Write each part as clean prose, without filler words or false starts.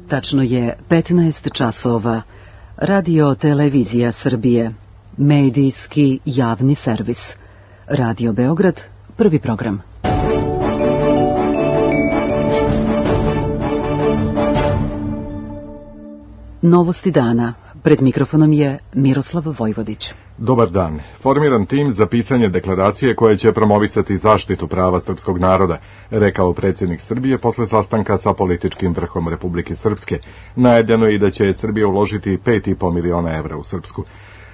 Tačno je 15 časova. Radio Televizija Srbije. Medijski javni servis. Radio Beograd, prvi program. Novosti dana. Pred mikrofonom je Miroslav Vojvodić. Dobar dan. Formiran tim za pisanje deklaracije koje će promovisati zaštitu prava srpskog naroda, rekao predsjednik Srbije posle sastanka sa političkim vrhom Republike Srpske. Najavljeno je i da će Srbija uložiti 5,5 miliona evra u Srpsku.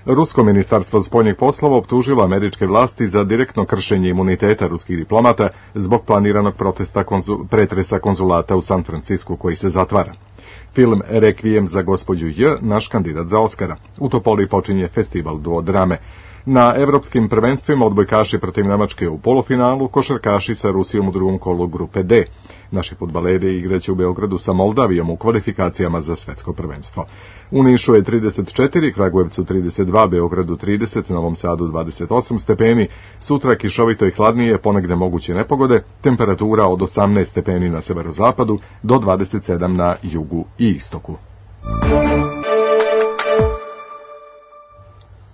Rusko ministarstvo spoljnih poslova optužilo američke vlasti za direktno kršenje imuniteta ruskih diplomata zbog planiranog pretresa konzulata u San Francisku koji se zatvara. Film Rekvijem za gospođu J, naš kandidat za Oskara. U Topoli počinje festival duodrame. Na evropskim prvenstvima odbojkaši protiv Nemačke u polufinalu, košarkaši sa Rusijom u drugom kolu grupe D. Naši fudbaleri igraće u Beogradu sa Moldavijom u kvalifikacijama za svetsko prvenstvo. U Nišu je 34, Kragujevcu 32, Beogradu 30, Novom Sadu 28 stepeni, sutra kišovito i hladnije, ponegde moguće nepogode, temperatura od 18 stepeni na severozapadu do 27 na jugu i istoku.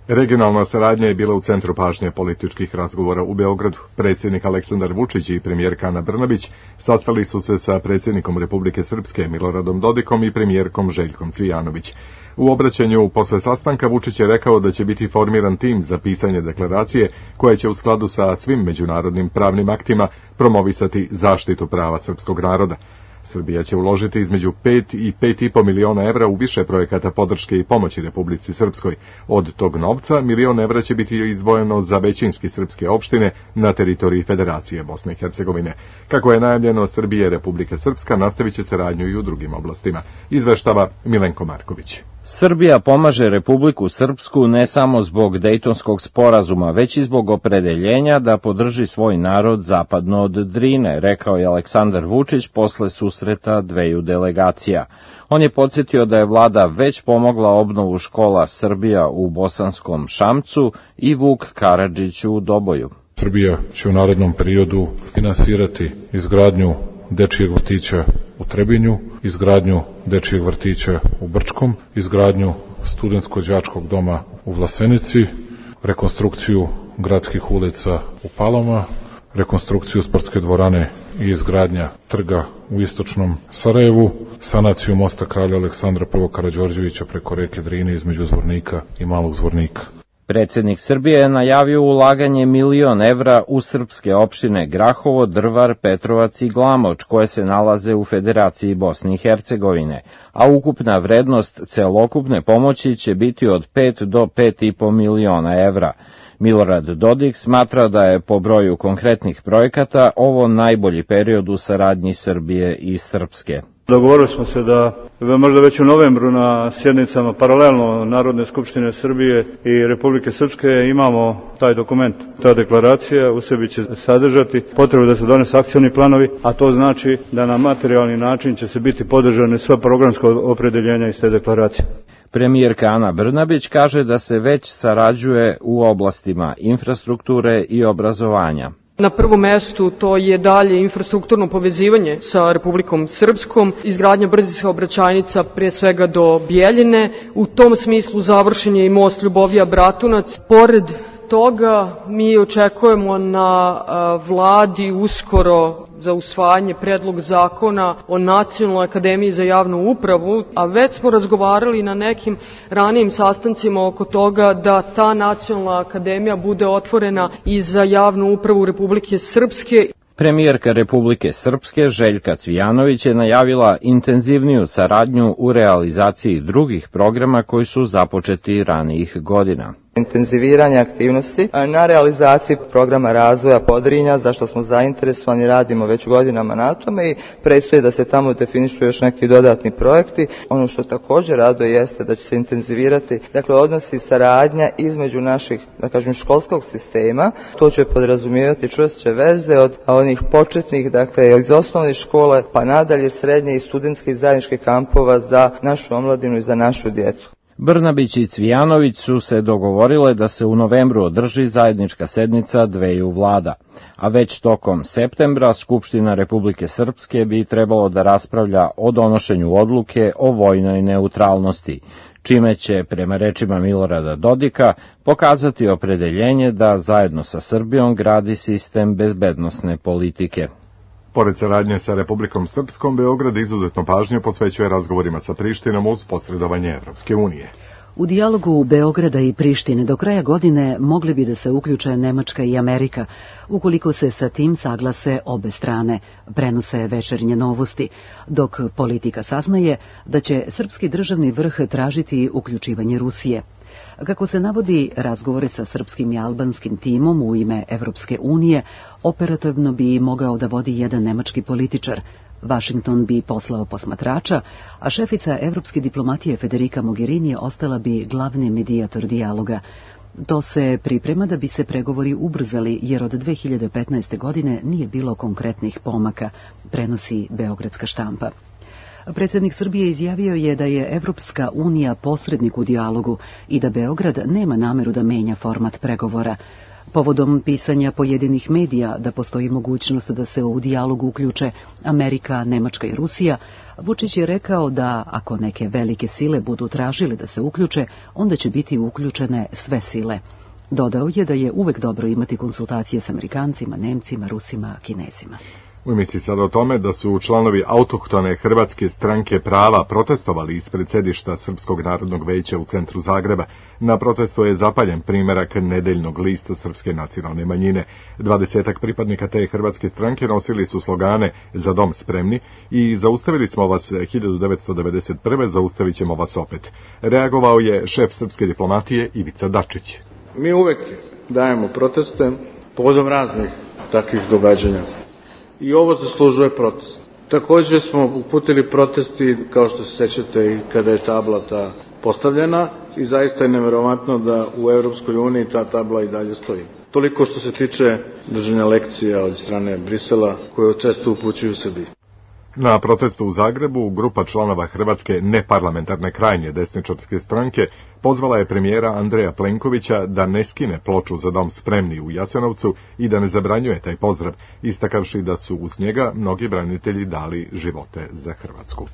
Regionalna saradnja je bila u centru pažnje političkih razgovora u Beogradu. Predsjednik Aleksandar Vučić i premijerka Ana Brnabić sastali su se sa predsjednikom Republike Srpske Miloradom Dodikom i premijerkom Željkom Cvijanović. U obraćanju posle sastanka Vučić je rekao da će biti formiran tim za pisanje deklaracije koja će u skladu sa svim međunarodnim pravnim aktima promovisati zaštitu prava srpskog naroda. Srbija će uložiti između 5 i 5,5 miliona evra u više projekata podrške i pomoći Republici Srpskoj. Od tog novca $1 milion će biti izdvojeno za većinski srpske opštine na teritoriji Federacije Bosne i Hercegovine. Kako je najavljeno, Srbija i Republika Srpska nastavit će saradnju i u drugim oblastima. Izveštava Milenko Marković. Srbija pomaže Republiku Srpsku ne samo zbog Dejtonskog sporazuma, već i zbog opredeljenja da podrži svoj narod zapadno od Drine, rekao je Aleksandar Vučić posle susreta dveju delegacija. On je podsjetio da je vlada već pomogla obnovu škola Srbija u Bosanskom Šamcu i Vuk Karadžić u Doboju. Srbija će u narednom periodu finansirati izgradnju dečijeg vrtića u Trebinju, izgradnju dečijeg vrtića u Brčkom, izgradnju studentsko-đačkog doma u Vlasenici, rekonstrukciju gradskih ulica u Palama, rekonstrukciju sportske dvorane i izgradnja trga u istočnom Sarajevu, sanaciju mosta kralja Aleksandra I. Karađorđevića preko reke Drine između Zvornika i Malog Zvornika. Predsjednik Srbije je najavio ulaganje $1 milion u srpske opštine Grahovo, Drvar, Petrovac i Glamoč, koje se nalaze u Federaciji Bosne i Hercegovine, a ukupna vrednost celokupne pomoći će biti od 5 do 5,5 miliona evra. Milorad Dodik smatra da je po broju konkretnih projekata ovo najbolji period u saradnji Srbije i Srpske. Dogovorili smo se da možda već u novembru na sjednicama paralelno Narodne skupštine Srbije i Republike Srpske imamo taj dokument. Ta deklaracija u sebi će sadržati potrebu da se donese akcioni planovi, a to znači da na materijalni način će se biti podržane sva programska opredeljenja iz te deklaracije. Premijerka Ana Brnabić kaže da se već sarađuje u oblastima infrastrukture i obrazovanja. Na prvom mestu to je dalje infrastrukturno povezivanje sa Republikom Srpskom, izgradnja brzih saobraćajnica pre svega do Bjeljine. U tom smislu završen je i most Ljubovija-Bratunac. Pored toga mi očekujemo na vladi uskoro za usvajanje predlog zakona o Nacionalnoj akademiji za javnu upravu, a već smo razgovarali na nekim ranijim sastancima oko toga da ta Nacionalna akademija bude otvorena i za javnu upravu Republike Srpske. Premijerka Republike Srpske Željka Cvijanović je najavila intenzivniju saradnju u realizaciji drugih programa koji su započeti ranijih godina. Intenziviranje aktivnosti na realizaciji programa razvoja Podrinja, za što smo zainteresovani, radimo već godinama na tome i predstoji da se tamo definišu još neki dodatni projekti. Ono što također raduje jeste da će se intenzivirati odnosi i saradnja između naših, školskog sistema. To će podrazumijevati čvršće veze od onih početnih, iz osnovne škole pa nadalje srednje i studentskih zajedničkih kampova za našu omladinu i za našu djecu. Brnabić i Cvijanović su se dogovorile da se u novembru održi zajednička sednica dveju vlada. a već tokom septembra Skupština Republike Srpske bi trebalo da raspravlja o donošenju odluke o vojnoj neutralnosti, čime će, prema rečima Milorada Dodika, pokazati opredeljenje da zajedno sa Srbijom gradi sistem bezbednosne politike. Pored saradnje sa Republikom Srpskom, Beograd izuzetno pažnju posvećuje razgovorima sa Prištinom uz posredovanje Evropske unije. U dijalogu Beograda i Prištine do kraja godine mogli bi da se uključe Nemačka i Amerika, ukoliko se sa tim saglase obe strane, prenose Večernje novosti, dok politika saznaje da će srpski državni vrh tražiti uključivanje Rusije. Kako se navodi, razgovore sa srpskim i albanskim timom u ime Evropske unije operativno bi mogao da vodi jedan nemački političar. Vašington bi poslao posmatrača, a šefica evropske diplomatije Federica Mogherini ostala bi glavni medijator dijaloga. To se priprema da bi se pregovori ubrzali, jer od 2015. godine nije bilo konkretnih pomaka, prenosi beogradska štampa. Predsjednik Srbije izjavio je da je Evropska unija posrednik u dijalogu i da Beograd nema nameru da menja format pregovora. Povodom pisanja pojedinih medija da postoji mogućnost da se u dijalogu uključe Amerika, Nemačka i Rusija, Vučić je rekao da ako neke velike sile budu tražile da se uključe, onda će biti uključene sve sile. Dodao je da je uvek dobro imati konsultacije s Amerikancima, Nemcima, Rusima, Kinezima. U emisiji sada o tome da su članovi autohtone Hrvatske stranke prava protestovali ispred sedišta Srpskog narodnog veća u centru Zagreba. Na protestu je zapaljen primerak nedeljnog lista Srpske nacionalne manjine. 20 pripadnika te Hrvatske stranke nosili su slogane "Za dom spremni" i "Zaustavili smo vas 1991. zaustavit ćemo vas opet". Reagovao je šef srpske diplomatije Ivica Dačić. Mi uvek dajemo proteste povodom raznih takvih događanja. I ovo zaslužuje protest. Takođe smo uputili protesti, kao što se sećate, i kada je tabla ta postavljena, i zaista je neverovatno da u Evropskoj uniji ta tabla i dalje stoji. Toliko što se tiče držanja lekcija od strane Brisela, koje često upućuju Srbiji. Na protestu u Zagrebu grupa članova Hrvatske neparlamentarne krajnje desničarske stranke pozvala je premijera Andreja Plenkovića da ne skine ploču "Za dom spremni" u Jasenovcu i da ne zabranjuje taj pozdrav, istakavši da su uz njega mnogi branitelji dali živote za Hrvatsku.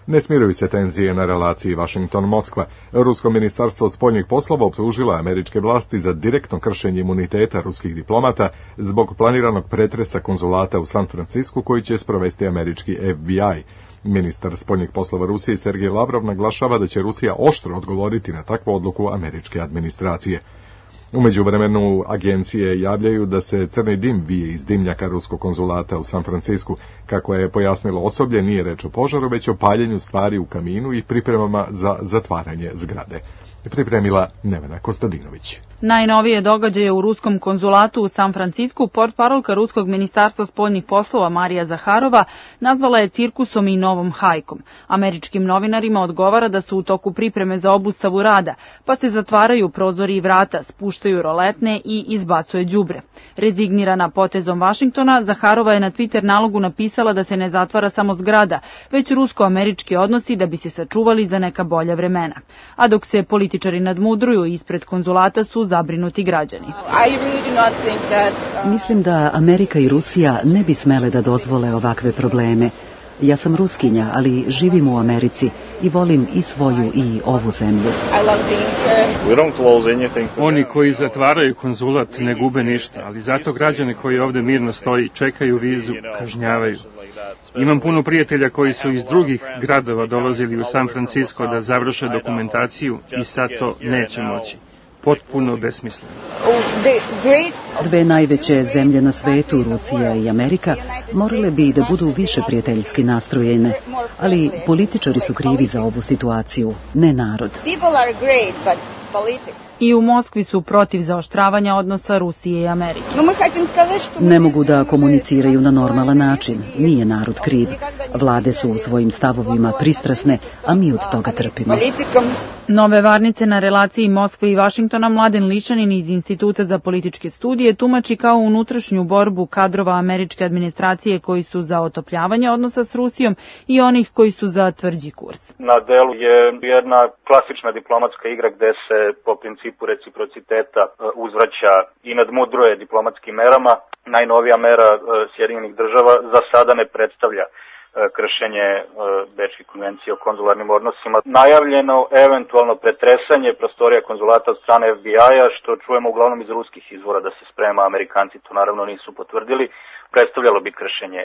Ne smiruju se tenzije na relaciji Vašington-Moskva. Rusko ministarstvo spoljnih poslova optužila američke vlasti za direktno kršenje imuniteta ruskih diplomata zbog planiranog pretresa konzulata u San Francisku koji će sprovesti američki FBI. Ministar spoljnih poslova Rusije Sergej Lavrov naglašava da će Rusija oštro odgovoriti na takvu odluku američke administracije. U međuvremenu agencije javljaju da se crni dim vije iz dimnjaka ruskog konzulata u San Francisku. Kako je pojasnilo osoblje, nije reč o požaru, već o paljenju stvari u kaminu i pripremama za zatvaranje zgrade. Pripremila Nevena Kostadinović. Najnovije događaje u ruskom konzulatu u San Francisku portparolka Ruskog ministarstva spoljnih poslova Marija Zaharova nazvala je cirkusom i novom hajkom. Američkim novinarima odgovara da su u toku pripreme za obustavu rada, pa se zatvaraju prozori i vrata, spuštaju roletne i izbacuje đubre. Rezignirana potezom Vašingtona, Zaharova je na Twitter nalogu napisala da se ne zatvara samo zgrada, već rusko-američki odnosi da bi se sačuvali za neka bolja vremena. A dok se političari nadmudruju, ispred konzulata su zabrinuti građani. Mislim da Amerika i Rusija ne bi smele da dozvole ovakve probleme. Ja sam Ruskinja, ali živim u Americi i volim i svoju i ovu zemlju. Oni koji zatvaraju konzulat ne gube ništa, ali zato građane koji ovde mirno stoji, čekaju vizu, kažnjavaju. Imam puno prijatelja koji su iz drugih gradova dolazili u San Francisco da završe dokumentaciju i sad to neće moći. Potpuno besmisleno. Dve najveće zemlje na svetu, Rusija i Amerika, morale bi da budu više prijateljski nastrojene, ali političari su krivi za ovu situaciju, ne narod. I u Moskvi su protiv zaoštravanja odnosa Rusije i Amerike. Ne mogu da komuniciraju na normalan način, nije narod kriv. Vlade su u svojim stavovima pristrasne, a mi od toga trpimo. Nove varnice na relaciji Moskve i Vašingtona Mladen Lišanin iz Instituta za političke studije tumači kao unutrašnju borbu kadrova američke administracije koji su za otopljavanje odnosa s Rusijom i onih koji su za tvrđi kurs. Na delu je jedna klasična diplomatska igra gde se po principu principu reciprociteta uzvraća i nadmudruje diplomatskim merama. Najnovija mera Sjedinjenih država za sada ne predstavlja kršenje Bečke konvencije o konzularnim odnosima. Najavljeno eventualno pretresanje prostorija konzulata od strane FBI-a, što čujemo uglavnom iz ruskih izvora da se sprema, Amerikanci to naravno nisu potvrdili, predstavljalo bi kršenje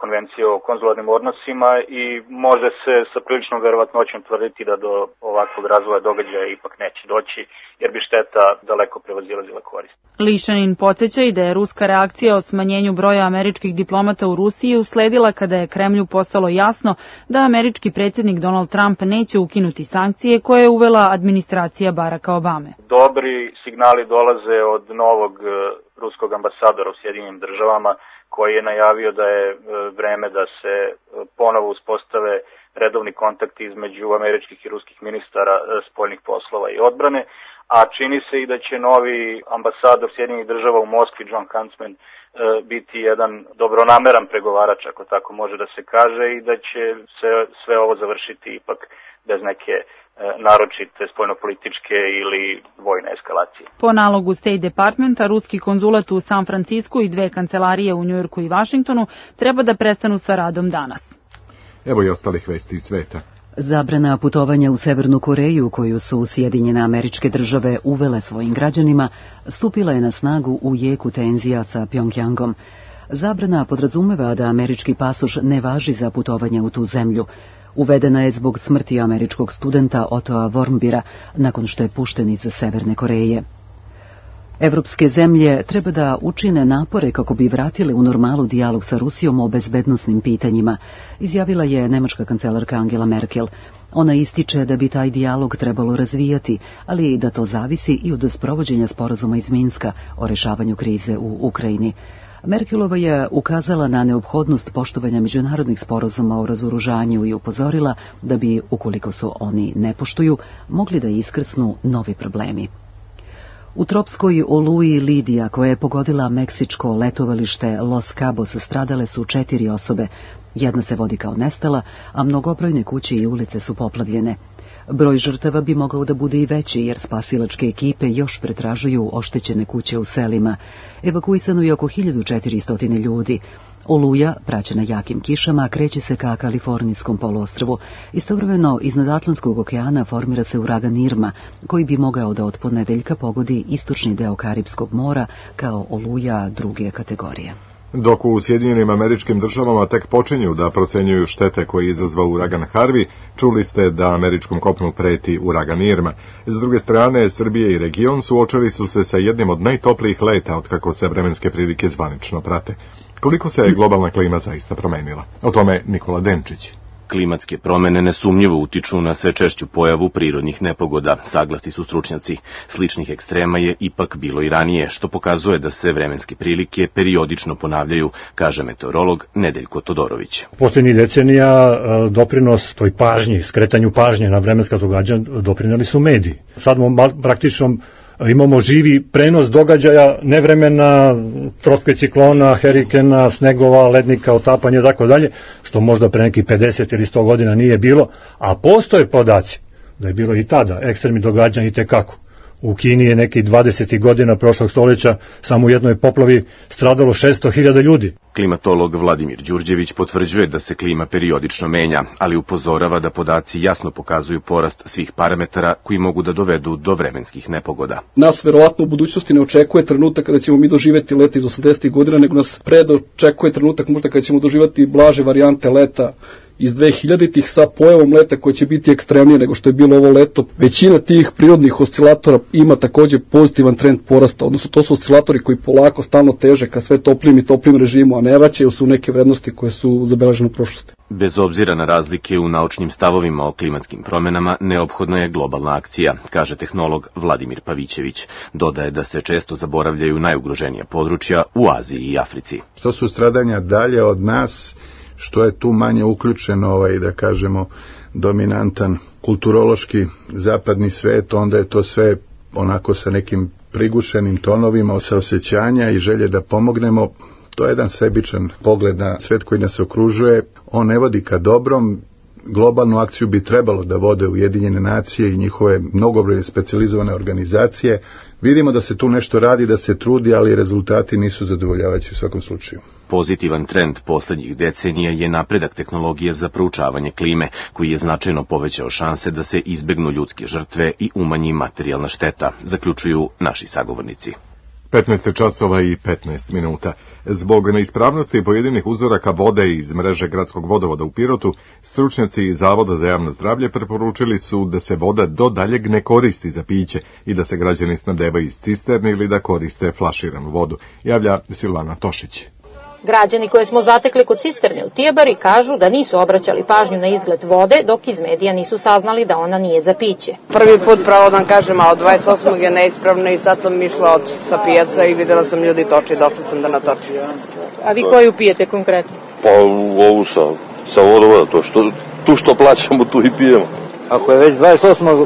konvencije o konzularnim odnosima i može se sa priličnom verovatnoćom tvrditi da do ovakvog razvoja događaja ipak neće doći, jer bi šteta daleko prevazilazila korist. Lišanin podsjeća i da je ruska reakcija o smanjenju broja američkih diplomata u Rusiji usledila kada je Kremlju postalo jasno da američki predsjednik Donald Trump neće ukinuti sankcije koje je uvela administracija Baracka Obame. Dobri signali dolaze od novog ruskog ambasadora u Sjedinjenim državama, koji je najavio da je vreme da se ponovo uspostave redovni kontakti između američkih i ruskih ministara spoljnih poslova i odbrane, a čini se i da će novi ambasador Sjedinjenih država u Moskvi, John Huntsman, biti jedan dobronameran pregovarač, ako tako može da se kaže, i da će se sve ovo završiti ipak bez neke naročite spoljnopolitičke ili vojne eskalacije. Po nalogu State Departmenta, ruski konzulat u San Francisku i 2 kancelarije u Njujorku i Vašingtonu treba da prestanu sa radom danas. Evo i ostalih vesti iz sveta. Zabrana putovanja u Severnu Koreju, koju su Sjedinjene Američke Države uvele svojim građanima, stupila je na snagu u jeku tenzija sa Pjongjangom. Zabrana podrazumeva da američki pasoš ne važi za putovanje u tu zemlju. Uvedena je zbog smrti američkog studenta Ottoa Warmbira nakon što je pušten iz Severne Koreje. Evropske zemlje treba da učine napore kako bi vratile u normalu dijalog sa Rusijom o bezbednosnim pitanjima, izjavila je nemačka kancelarka Angela Merkel. Ona ističe da bi taj dijalog trebalo razvijati, ali da to zavisi i od sprovođenja sporazuma iz Minska o rešavanju krize u Ukrajini. Merkelova je ukazala na neophodnost poštovanja međunarodnih sporazuma o razoružanju i upozorila da bi, ukoliko se oni ne poštuju, mogli da iskrsnu novi problemi. U tropskoj oluji Lidija, koja je pogodila meksičko letovalište Los Cabos, stradale su 4 osobe. Jedna se vodi kao nestala, a mnogobrojne kuće i ulice su poplavljene. Broj žrtava bi mogao da bude i veći, jer spasilačke ekipe još pretražuju oštećene kuće u selima. Evakuisano je oko 1400 ljudi. Oluja, praćena jakim kišama, kreće se ka Kalifornijskom poluostrvu. Istovremeno, iznad Atlantskog okeana formira se uragan Irma, koji bi mogao da od ponedeljka pogodi istočni deo Karipskog mora kao oluja 2. kategorije. Dok u Sjedinjenim Američkim Državama tek počinju da procenjuju štete koje je izazvao uragan Harvey, čuli ste da američkom kopnu preti uragan Irma. S druge strane, Srbije i region suočili su se sa jednim od najtoplijih leta otkako se vremenske prilike zvanično prate. Koliko se je globalna klima zaista promenila? O tome Nikola Denčić. Klimatske promene nesumnjivo utiču na sve češću pojavu prirodnih nepogoda, saglasni su stručnjaci. Sličnih ekstrema je ipak bilo i ranije, što pokazuje da se vremenske prilike periodično ponavljaju, kaže meteorolog Nedeljko Todorović. Poslednjih decenija doprinos toj pažnji, skretanju pažnje na vremenska događanja doprineli su mediji. Sad praktično imamo živi prenos događaja, nevremena, tropskih ciklona, herikena, snegova, lednika, otapanja i tako dalje, što možda pre nekih 50 ili 100 godina nije bilo, a postoje podaci da je bilo i tada ekstremni događanja i tekako. U Kini je nekih 20. godina prošlog stoljeća samo u jednoj poplavi stradalo 600.000 ljudi. Klimatolog Vladimir Đurđević potvrđuje da se klima periodično menja, ali upozorava da podaci jasno pokazuju porast svih parametara koji mogu da dovedu do vremenskih nepogoda. Nas verovatno u budućnosti ne očekuje trenutak kada ćemo mi doživeti leta iz 80. godina, nego nas očekuje trenutak možda kada ćemo doživeti blaže varijante leta iz 2000-ih sa pojavom leta koje će biti ekstremnije nego što je bilo ovo leto. Većina tih prirodnih oscilatora ima takođe pozitivan trend porasta, odnosno to su oscilatori koji polako stalno teže ka sve toplim režimu, a ne vraćaju se u neke vrednosti koje su zabeležene u prošlosti. Bez obzira na razlike u naučnim stavovima o klimatskim promenama, neophodna je globalna akcija, kaže tehnolog Vladimir Pavićević. Dodaje da se često zaboravljaju najugroženija područja u Aziji i Africi. Što su stradanja dalje od nas, što je tu manje uključeno da kažemo dominantan kulturološki zapadni svet, onda je to sve onako sa nekim prigušenim tonovima saosećanja i želje da pomognemo. To je jedan sebičan pogled na svet koji nas okružuje. On ne vodi ka dobrom, globalnu akciju bi trebalo da vode Ujedinjene nacije i njihove mnogobrojne specijalizovane organizacije. Vidimo da se tu nešto radi, da se trudi, ali rezultati nisu zadovoljavajući u svakom slučaju. Pozitivan trend poslednjih decenija je napredak tehnologije za proučavanje klime, koji je značajno povećao šanse da se izbegnu ljudske žrtve i umanji materijalna šteta, zaključuju naši sagovornici. 15 časova i 15 minuta. Zbog neispravnosti pojedinih uzoraka vode iz mreže gradskog vodovoda u Pirotu, stručnjaci iz Zavoda za javno zdravlje preporučili su da se voda do daljeg ne koristi za piće i da se građani snabdevaju iz cisterni ili da koriste flaširanu vodu, javlja Silvana Tošić. Građani koje smo zatekli kod cisterne u Tijebari kažu da nisu obraćali pažnju na izgled vode, dok iz medija nisu saznali da ona nije za piće. Prvi put, pravo da vam kažem, a od 28. je neispravna i sad sam išla sa pijaca i videla sam ljudi toči, došla sam da natočim. A vi koju pijete konkretno? Pa ovu sa vodovoda, tu što plaćamo, tu i pijemo. Ako je već 28.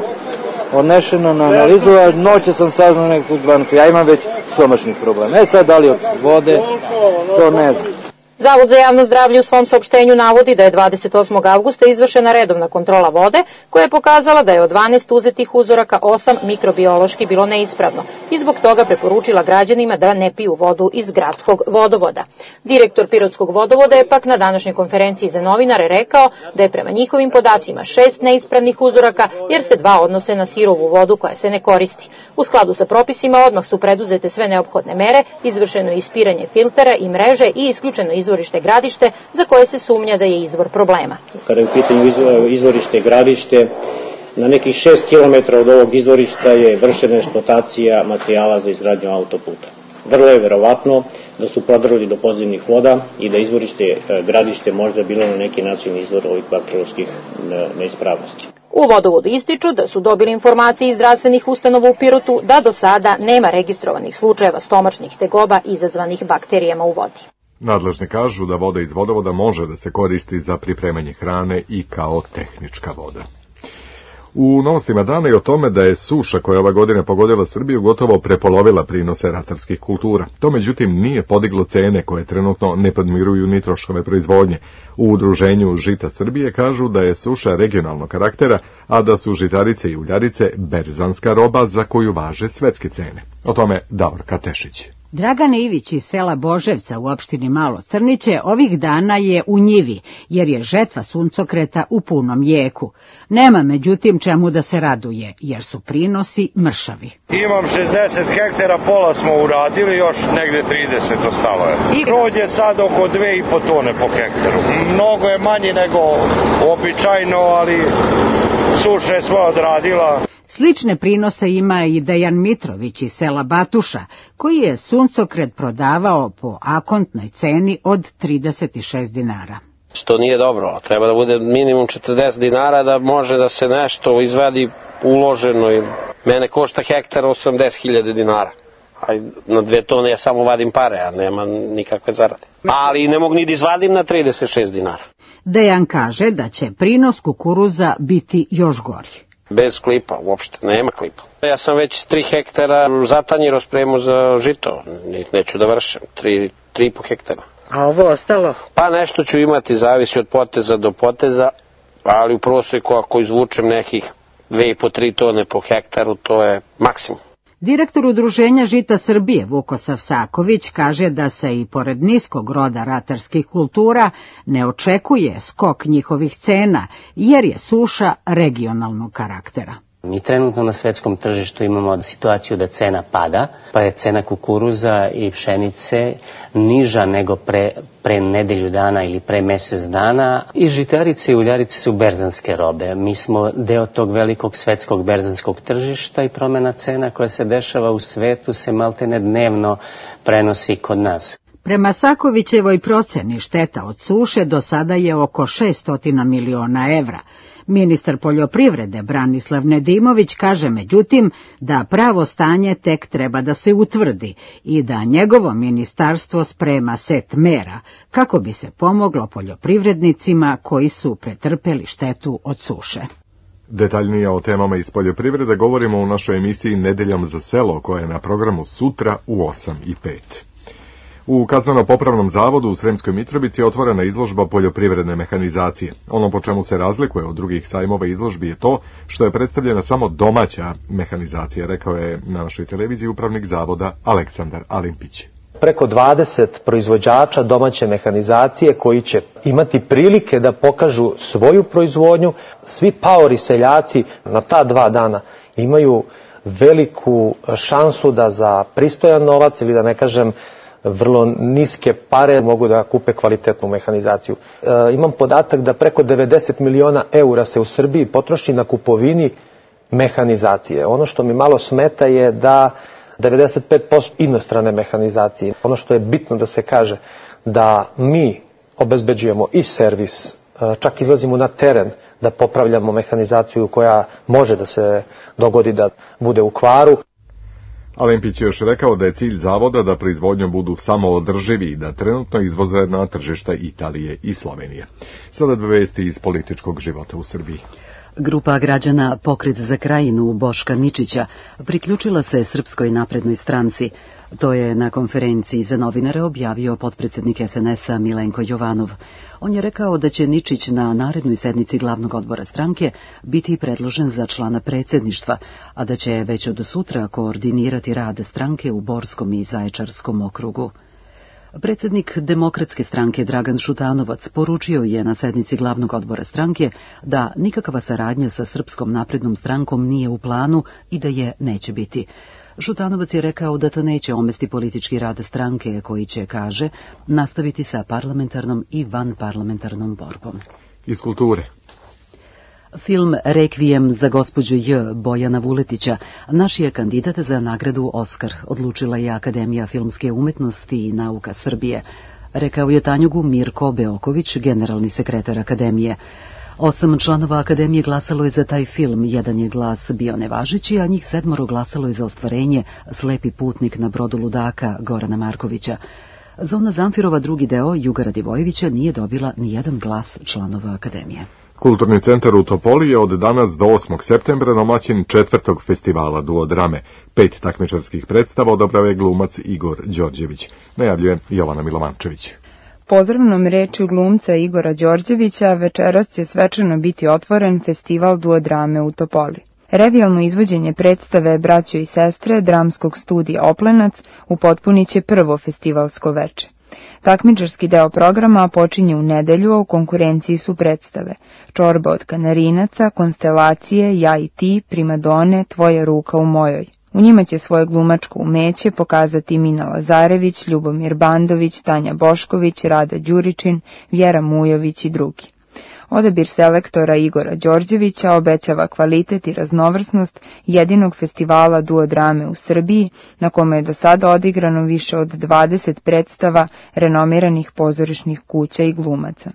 odnešeno na analizu, a noće sam saznao neku zvanku, ja imam već stomačnih problema. Sad da li od vode, to ne znam. Zavod za javno zdravlje u svom saopštenju navodi da je 28. avgusta izvršena redovna kontrola vode, koja je pokazala da je od 12 uzetih uzoraka 8 mikrobiološki bilo neispravno i zbog toga preporučila građanima da ne piju vodu iz gradskog vodovoda. Direktor Pirotskog vodovoda je pak na današnjoj konferenciji za novinare rekao da je prema njihovim podacima 6 neispravnih uzoraka, jer se 2 odnose na sirovu vodu koja se ne koristi. U skladu sa propisima odmah su preduzete sve neophodne mere, izvršeno je ispiranje filtera i mreže i isključeno izvorište gradište za koje se sumnja da je izvor problema. Kada je u pitanju izvorište gradište, na nekih 6 km od ovog izvorišta je vršena eksploatacija materijala za izgradnju autoputa. Vrlo je verovatno da su prodrli do podzemnih voda i da izvorište gradište možda bilo na neki način izvor ovih bakterioloških neispravnosti. U vodovodu ističu da su dobili informacije iz zdravstvenih ustanova u Pirotu da do sada nema registrovanih slučajeva stomačnih tegoba izazvanih bakterijama u vodi. Nadležni kažu da voda iz vodovoda može da se koristi za pripremanje hrane i kao tehnička voda. U novostima dana i o tome da je suša koja ova godina pogodila Srbiju gotovo prepolovila prinose ratarskih kultura. To međutim nije podiglo cene koje trenutno ne podmiruju ni troškove proizvodnje. U udruženju Žita Srbije kažu da je suša regionalnog karaktera, a da su žitarice i uljarice berzanska roba za koju važe svetske cene. O tome Davorka Tešić. Dragan Ivić iz sela Boževca u opštini Malo Crniće ovih dana je u njivi, jer je žetva suncokreta u punom jeku. Nema međutim čemu da se raduje, jer su prinosi mršavi. Imam 60 hektara, pola smo uradili, još negde 30 ostalo je. Krod je sad oko 2,5 tone po hektaru. Mnogo je manji nego običajno, ali suša je svoje odradila. Slične prinose ima i Dejan Mitrović iz sela Batuša, koji je suncokret prodavao po akontnoj ceni od 36 dinara. Što nije dobro, treba da bude minimum 40 dinara da može da se nešto izvadi uloženo. Mene košta hektar 80.000 dinara. A na 2 tone ja samo vadim pare, a nema nikakve zarade. Ali ne mogu ni da izvadim na 36 dinara. Dejan kaže da će prinos kukuruza biti još gori. Bez klipa, uopšte, nema klipa. Ja sam već 3 hektara zatanjiro spremao za žito, neću da vršem, 3,5 hektara. A ovo ostalo? Pa nešto ću imati, zavisi od poteza do poteza, ali u prosjeku ako izvučem nekih 2,5-3 tone po hektaru, to je maksimum. Direktor udruženja Žita Srbije Vukosav Saković kaže da se i pored niskog roda ratarskih kultura ne očekuje skok njihovih cena, jer je suša regionalnog karaktera. Mi trenutno na svetskom tržištu imamo situaciju da cena pada, pa je cena kukuruza i pšenice niža nego pre nedelju dana ili pre mesec dana. I žitarice i uljarice su berzanske robe. Mi smo deo tog velikog svetskog berzanskog tržišta i promena cena koja se dešava u svetu se maltene dnevno prenosi kod nas. Prema Sakovićevoj proceni šteta od suše do sada je oko 600 miliona evra. Ministar poljoprivrede Branislav Nedimović kaže međutim da pravo stanje tek treba da se utvrdi i da njegovo ministarstvo sprema set mera kako bi se pomoglo poljoprivrednicima koji su pretrpeli štetu od suše. Detaljnije o temama iz poljoprivrede govorimo u našoj emisiji Nedeljom za selo koja je na programu sutra u 8:05. U Kazneno-popravnom zavodu u Sremskoj Mitrovici je otvorena izložba poljoprivredne mehanizacije. Ono po čemu se razlikuje od drugih sajmova izložbi je to što je predstavljena samo domaća mehanizacija, rekao je na našoj televiziji upravnik zavoda Aleksandar Alimpić. Preko 20 proizvođača domaće mehanizacije koji će imati prilike da pokažu svoju proizvodnju. Svi paori seljaci na ta 2 dana imaju veliku šansu da za pristojan novac ili da ne kažem vrlo niske pare mogu da kupe kvalitetnu mehanizaciju. Imam podatak da preko 90 miliona eura se u Srbiji potroši na kupovini mehanizacije. Ono što mi malo smeta je da 95% inostrane mehanizacije. Ono što je bitno da se kaže da mi obezbeđujemo i servis, čak izlazimo na teren da popravljamo mehanizaciju koja može da se dogodi da bude u kvaru. Alempić je još rekao da je cilj zavoda da proizvodnjom budu samoodrživi i da trenutno izvoze na tržišta Italije i Slovenije. Sada 2 vesti iz političkog života u Srbiji. Grupa građana Pokret za Krajinu Boška Ničića priključila se Srpskoj naprednoj stranci. To je na konferenciji za novinare objavio potpredsednik SNS-a Milenko Jovanov. On je rekao da će Ničić na narednoj sednici glavnog odbora stranke biti predložen za člana predsjedništva, a da će već od sutra koordinirati rad stranke u Borskom i Zaječarskom okrugu. Predsjednik Demokratske stranke Dragan Šutanovac poručio je na sednici glavnog odbora stranke da nikakva saradnja sa Srpskom naprednom strankom nije u planu i da je neće biti. Šutanovac je rekao da to neće omesti politički rad stranke koji će, kaže, nastaviti sa parlamentarnom i vanparlamentarnom borbom. Iz kulture. Film Rekvijem za gospođu J. Bojana Vuletića naš je kandidat za nagradu Oskar, odlučila je Akademija filmske umetnosti i nauka Srbije, rekao je Tanjugu Mirko Beoković, generalni sekretar Akademije. 8 članova Akademije glasalo je za taj film, 1 je glas bio nevažeći, a njih 7 glasalo je za ostvarenje Slepi putnik na brodu ludaka Gorana Markovića. Zona Zamfirova drugi deo Juga Radivojevića nije dobila ni 1 glas članova Akademije. Kulturni centar u Topoli je od danas do 8. septembra domaćin 4. festivala duodrame. 5 takmičarskih predstava odabrao je glumac Igor Đorđević, najavljuje Jovana Milovančević. Pozdravnom rečju glumca Igora Đorđevića večeras će svečano biti otvoren festival duodrame u Topoli. Revijalno izvođenje predstave Braćo i sestre dramskog studija Oplenac upotpunit će prvo festivalsko veče. Takmičarski deo programa počinje u nedelju, a u konkurenciji su predstave Čorba od kanarinaca, Konstelacije, Ja i ti, Primadone, Tvoja ruka u mojoj. U njima će svoje glumačko umeće pokazati Mina Lazarević, Ljubomir Bandović, Tanja Bošković, Rada Đuričin, Vjera Mujović i drugi. Odabir selektora Igora Đorđevića obećava kvalitet i raznovrsnost jedinog festivala duodrame u Srbiji, na kome je do sada odigrano više od 20 predstava renomiranih pozorišnih kuća i glumaca.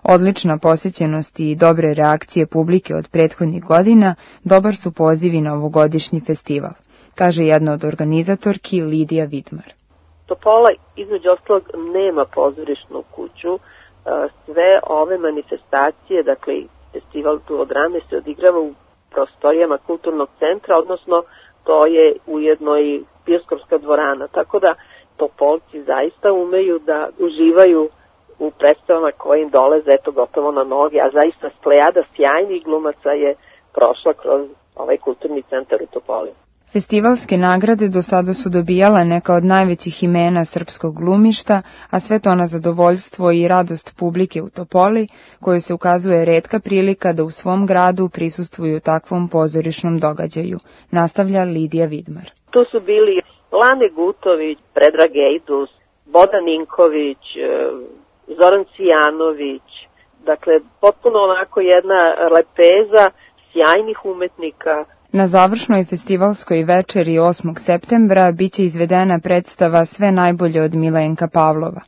Odlična posjećenost i dobre reakcije publike od prethodnih godina dobar su pozivi na ovogodišnji festival, kaže jedna od organizatorki Lidija Vidmar. Topola između ostalog nema pozorišnu kuću. Sve ove manifestacije, dakle festival duodrame se odigrava u prostorijama kulturnog centra, odnosno to je ujedno i bioskopska dvorana, tako da Topolci zaista umeju da uživaju u predstavama koje im dolaze gotovo na noge, a zaista plejada sjajnih glumaca je prošla kroz ovaj kulturni centar u Topoli. Festivalske nagrade do sada su dobijala neka od najvećih imena srpskog glumišta, a sve to na zadovoljstvo i radost publike u Topoli, kojoj se ukazuje retka prilika da u svom gradu prisustvuju takvom pozorišnom događaju, nastavlja Lidija Vidmar. Tu su bili Lane Gutović, Predrag Ejdus, Bodan Ninković, Zoran Cijanović, dakle potpuno onako jedna lepeza sjajnih umetnika. Na završnoj festivalskoj večeri 8. septembra biće izvedena predstava Sve najbolje od Milenka Pavlova.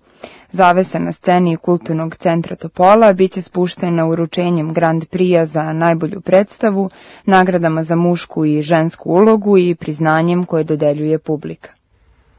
Zavesa na sceni Kulturnog centra Topola biće spuštena uručenjem Grand Prix za najbolju predstavu, nagradama za mušku i žensku ulogu i priznanjem koje dodeljuje publika.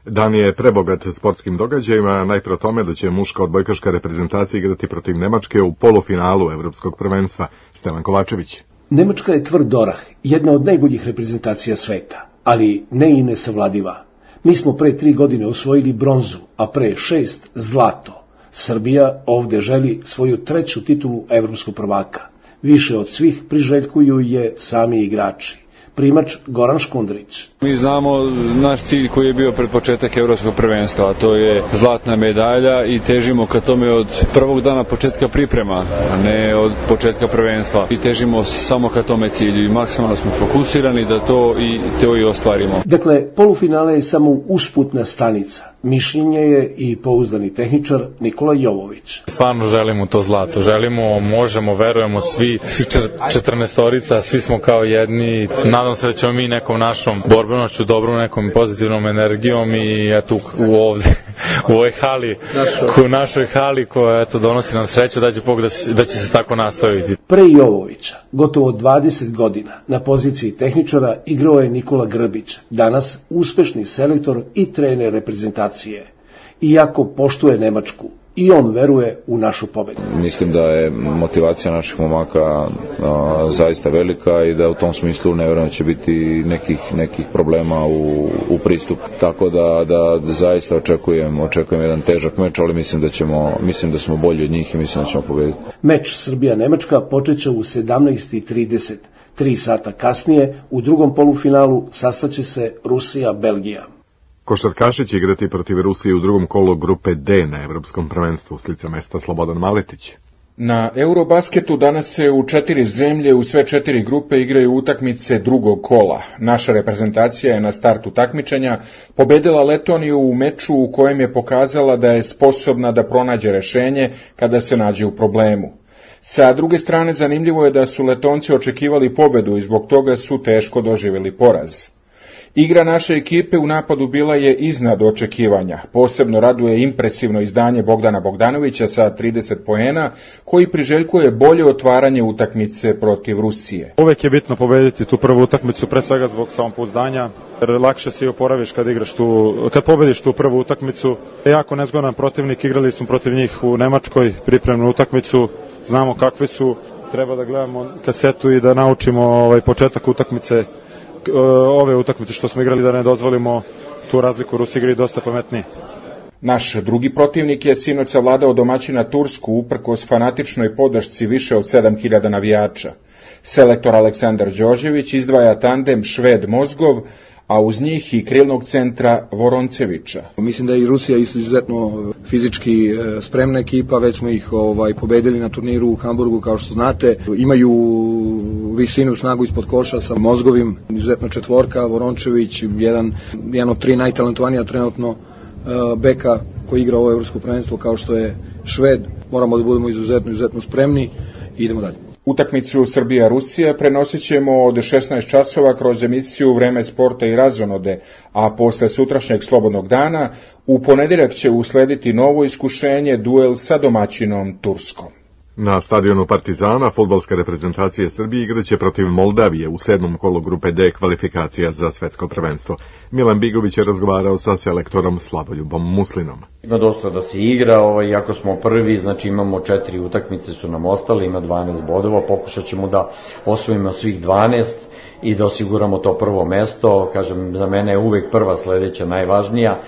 Dan je prebogat sportskim događajima, najpre o tome da će muška odbojkaška reprezentacija igrati protiv Nemačke u polufinalu Evropskog prvenstva. Stevan Kovačević. Nemačka je tvrd orah, jedna od najboljih reprezentacija sveta, ali ne i nesavladiva. Mi smo pre 3 godine osvojili bronzu, a pre 6 zlato. Srbija ovde želi svoju 3. titulu evropskog prvaka. Više od svih priželjkuju je sami igrači. Primač Goran Škundrić. Mi znamo naš cilj koji je bio pred početak evropskog prvenstva, a to je zlatna medalja i težimo ka tome od prvog dana početka priprema, a ne od početka prvenstva. I težimo samo ka tome cilju i maksimalno smo fokusirani da to i ostvarimo. Dakle, polufinale je samo usputna stanica. Mišljenje je i pouzdani tehničar Nikola Jovović. Stvarno želimo to zlato, želimo, možemo, verujemo svi 14-orica, svi smo kao jedni. Nadam se da ćemo mi nekom našom borbenošću, dobrom nekom pozitivnom energijom i eto u ovoj hali, u našoj hali koja donosi nam sreću, da će Bog da će se tako nastaviti. Pre Jovovića, gotovo 20 godina, na poziciji tehničara igrao je Nikola Grbić, danas uspešni selektor i trener reprezentacije. Iako poštuje Nemačku, i on veruje u našu pobedu. Mislim da je motivacija naših momaka zaista velika i da u tom smislu ne vjerujem da će biti nekih problema u pristupu. Tako da zaista očekujem jedan težak meč, ali mislim da smo bolji od njih i mislim da ćemo pobediti. Meč Srbija-Nemačka počeće u 17:30. 3 sata kasnije u drugom polufinalu sastaće se Rusija-Belgija. Košarkaši će igrati protiv Rusije u drugom kolu grupe D na evropskom prvenstvu. S lica mesta Slobodan Maletić. Na Eurobasketu danas se u 4 zemlje u sve 4 grupe igraju utakmice drugog kola. Naša reprezentacija je na startu takmičenja pobedila Letoniju u meču u kojem je pokazala da je sposobna da pronađe rešenje kada se nađe u problemu. Sa druge strane, zanimljivo je da su Letonci očekivali pobedu i zbog toga su teško doživjeli poraz. Igra naše ekipe u napadu bila je iznad očekivanja. Posebno raduje impresivno izdanje Bogdana Bogdanovića sa 30 poena, koji priželjkuje bolje otvaranje utakmice protiv Rusije. Uvek je bitno pobediti tu prvu utakmicu, pre svega zbog samopouzdanja, jer lakše se i oporaviš kad pobediš tu prvu utakmicu. Jako nezgodan protivnik, igrali smo protiv njih u Nemačkoj, pripremnu utakmicu, znamo kakvi su, treba da gledamo kasetu i da naučimo početak utakmice. Ove utakmice što smo igrali da ne dozvolimo tu razliku, Rusi igri dosta pametniji. Naš drugi protivnik je sinoć savladao domaćina Tursku uprkos fanatičnoj podršci više od 7000 navijača. Selektor Aleksandar Đorđević izdvaja tandem Šved-Mozgov, a uz njih i krilnog centra Voroncevića. Mislim da je i Rusija izuzetno fizički spremna ekipa, već smo ih pobedili na turniru u Hamburgu, kao što znate. Imaju visinu, snagu ispod koša sa Mozgovim, izuzetno četvorka, Vorončević, jedan od 3 najtalentovanija trenutno beka koji igra ovo evropsko prvenstvo kao što je Šved. Moramo da budemo izuzetno spremni i idemo dalje. Utakmicu Srbija-Rusija prenosit ćemo od 16 časova kroz emisiju Vreme sporta i razonode, a posle sutrašnjeg slobodnog dana u ponedeljak će uslediti novo iskušenje, duel sa domaćinom Turskom. Na stadionu Partizana fudbalska reprezentacija Srbije igraće protiv Moldavije u 7. kolu grupe D kvalifikacija za svetsko prvenstvo. Milan Bigović je razgovarao sa selektorom Slavoljubom Muslinom. Ima dosta da se igra, iako smo prvi, znači imamo 4 utakmice su nam ostale, ima 12 bodova, pokušat ćemo da osvojimo svih 12 i da osiguramo to prvo mesto. Kažem, za mene je uvek prva sledeća najvažnija,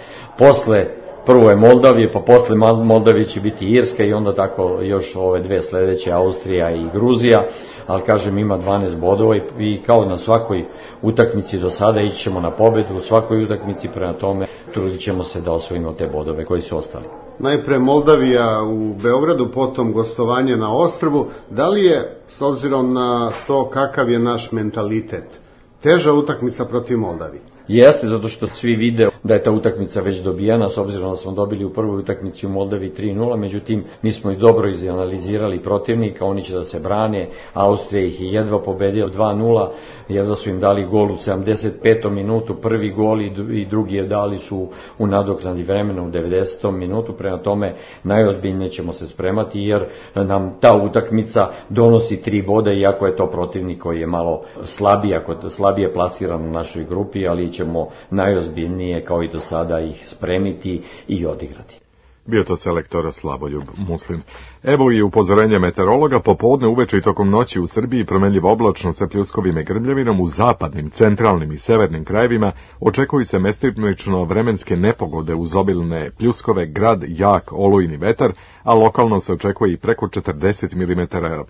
prvo je Moldavije, pa posle Moldavije će biti Irska i onda tako još ove 2 sledeće, Austrija i Gruzija, ali kažem ima 12 bodova i kao na svakoj utakmici do sada ići ćemo na pobedu u svakoj utakmici, prema tome trudit ćemo se da osvojimo te bodove koji su ostali. Najpre Moldavija u Beogradu, potom gostovanje na Ostrvu. Da li je, s obzirom na to kakav je naš mentalitet, teža utakmica protiv Moldavije? Jeste, zato što svi vide da je ta utakmica već dobijana, s obzirom da smo dobili u prvoj utakmici u Moldavi 3-0, međutim, mi smo i dobro izanalizirali protivnika, oni će da se brane, Austrija ih je jedva pobedila 2-0, jedva su im dali gol u 75. minutu, prvi gol i drugi je dali su u nadoknadi vremena u 90. minutu, prema tome najozbiljnije ćemo se spremati, jer nam ta utakmica donosi 3 boda, iako je to protivnik koji je malo slabije plasiran u našoj grupi, ali ćemo najozbiljnije kao i do sada ih spremiti i odigrati. Bio to selektor Slavoljub Muslim. Evo i upozorenje meteorologa, popodne, uveče i tokom noći u Srbiji promenljivo oblačno sa pljuskovima i grmljavinom, u zapadnim, centralnim i severnim krajevima očekuju se mestimično vremenske nepogode uz obilne pljuskove, grad, jak olujni vetar, a lokalno se očekuje i preko 40 mm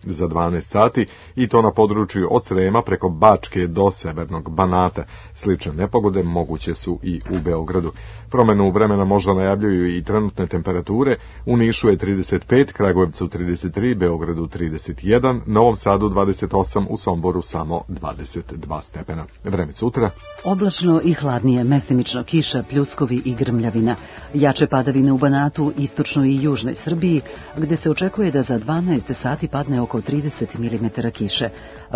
za 12 sati i to na području od Srema preko Bačke do severnog Banata. Slične nepogode moguće su i u Beogradu. Promenu vremena možda najavljuju i trenutne temperature. U Nišu je 35, Kragujevcu 33, Beogradu 31, Novom Sadu 28, u Somboru samo 22 stepena. Vreme sutra. Oblačno i hladnije, mestimično kiša, pljuskovi i grmljavina. Jače padavine u Banatu, istočnoj i južnoj Srbiji, gde se očekuje da za 12 sati padne oko 30 mm kiše.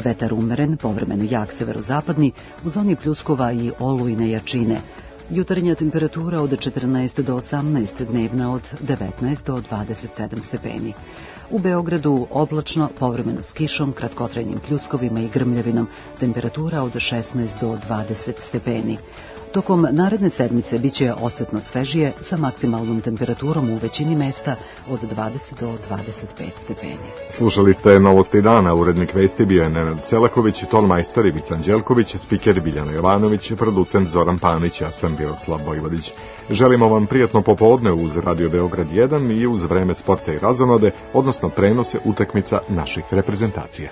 Vetar umeren, povremeno jak severozapadni, u zoni pljuskova i olujne jačine. Jutarnja temperatura od 14 do 18, dnevna od 19 do 27 stepeni. U Beogradu oblačno, povremeno s kišom, kratkotrajnim pljuskovima i grmljavinom, temperatura od 16 do 20 stepeni. Tokom naredne sedmice biće osetno svežije sa maksimalnom temperaturom u većini mesta od 20 do 25 stepeni. Slušali ste Novosti dana, urednik vesti bio je Nenad Selaković, tonmajstor Ivica Anđelković, spiker Biljana Jovanović, producent Zoran Panić, ja sam Miroslav Bojvodić. Želimo vam prijatno popodne uz Radio Beograd 1 i uz vreme sporta i razonode, odnosno prenose utakmica naših reprezentacija.